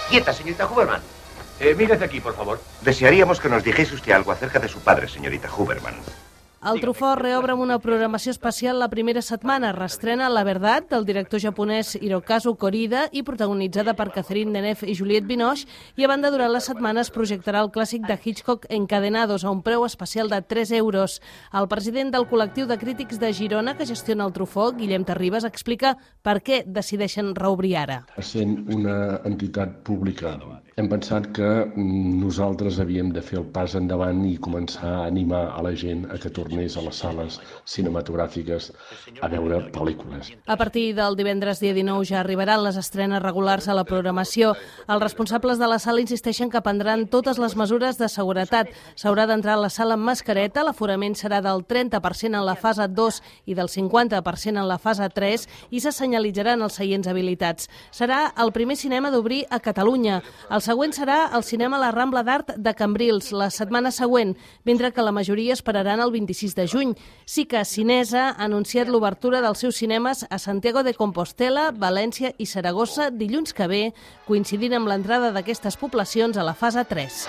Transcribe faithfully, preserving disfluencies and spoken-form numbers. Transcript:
Quieta, señorita Huberman. Eh, mírese aquí, por favor. Desearíamos que nos dijese usted algo acerca de su padre, señorita Huberman. El Truffaut reobre amb una programació especial la primera setmana. Reestrena La Verdad, del director japonès Hirokazu Korida i protagonitzada per Catherine Deneuve i Juliette Binoche, i a banda, durant la setmana es projectarà el clàssic de Hitchcock Encadenados a un preu especial de tres euros. El president del col·lectiu de crítics de Girona que gestiona el Truffaut, Guillem Terribas, explica per què decideixen reobrir ara. Sent una entitat pública, hem pensat que nosaltres havíem de fer el pas endavant i començar a animar a la gent a que tornés a les sales cinematogràfiques a veure pel·lícules. A partir del divendres dia dinou ja arribaran les estrenes regulars a la programació. Els responsables de la sala insisteixen que prendran totes les mesures de seguretat. S'haurà d'entrar a la sala amb mascareta, l'aforament serà del trenta per cent en la fase dos i del cinquanta per cent en la fase tres i se senyalitzaran els seients habilitats. Serà el primer cinema d'obrir a Catalunya. El següent serà el cinema La Rambla d'Art de Cambrils, la setmana següent, mentre que la majoria esperaran el vint-i-sis de juny. Sí que Cinesa ha anunciat l'obertura dels seus cinemes a Santiago de Compostela, València i Saragossa dilluns que ve, coincidint amb l'entrada d'aquestes poblacions a la fase tres.